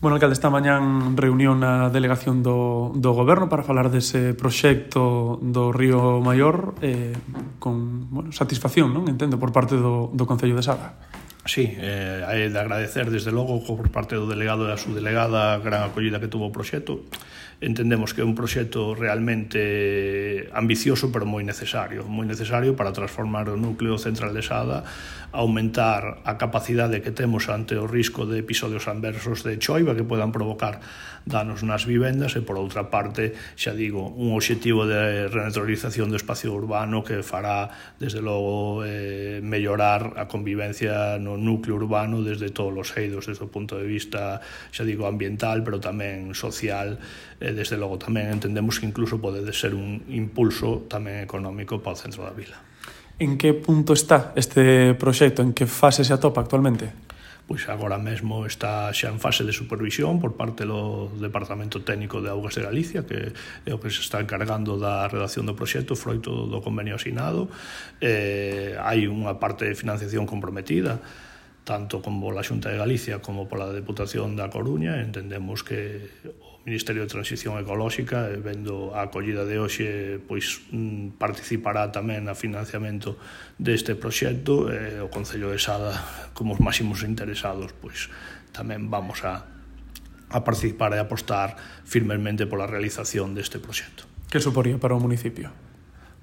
Bueno, alcalde, esta mañán reunión na delegación do Goberno para falar dese proxecto do Río Maior con satisfacción, non? Entendo, por parte do Concello de Sada. Sí, hai de agradecer desde logo por parte do delegado e a subdelegada a gran acollida que tuvo o proxecto. Entendemos que é un proxecto realmente ambicioso pero moi necesario para transformar o núcleo central de Sada, aumentar a capacidade que temos ante o risco de episodios adversos de choiva que podan provocar danos nas vivendas e, por outra parte, xa digo, un obxectivo de renaturalización do espacio urbano que fará, desde logo, mellorar a convivencia no núcleo urbano desde todos os eidos, desde o punto de vista, xa digo, ambiental, pero tamén social. Desde logo tamén entendemos que incluso pode ser un impulso tamén económico para o centro da vila. En que punto está este proxecto? En que fase se atopa actualmente? Pois agora mesmo está xa en fase de supervisión por parte do Departamento Técnico de Augas de Galicia, que é o que se está encargando da redacción do proxecto froito do convenio asinado. Hai unha parte de financiación comprometida, tanto como pola Xunta de Galicia como pola Deputación da Coruña. Entendemos que o Ministerio de Transición Ecolóxica, vendo a acollida de hoxe, pois participará tamén no financiamento deste proxecto. O Concello de Sada, como os máximos interesados, pois tamén vamos a participar e apostar firmemente pola realización deste proxecto. Que suporía para o municipio?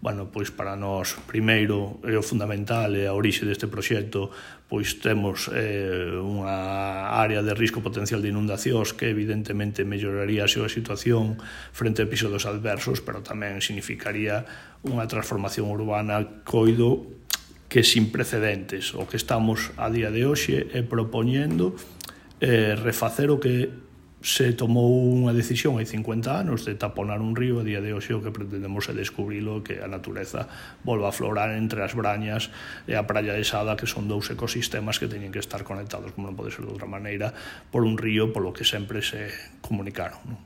Bueno, pois para nós, primeiro, é o fundamental, é a orixe deste proxecto, pois temos unha área de risco potencial de inundacións que evidentemente melloraría a súa situación frente a episodios adversos, pero tamén significaría unha transformación urbana, coido, que sin precedentes. O que estamos a día de hoxe é propoñendo refacer o que se tomou unha decisión hai 50 anos de taponar un río. A día de hoxe o que pretendemos é descubrilo, que a natureza volva a aflorar entre as Brañas e a Praia de Sada, que son dous ecosistemas que teñen que estar conectados, como non pode ser de outra maneira, por un río polo que sempre se comunicaron, non?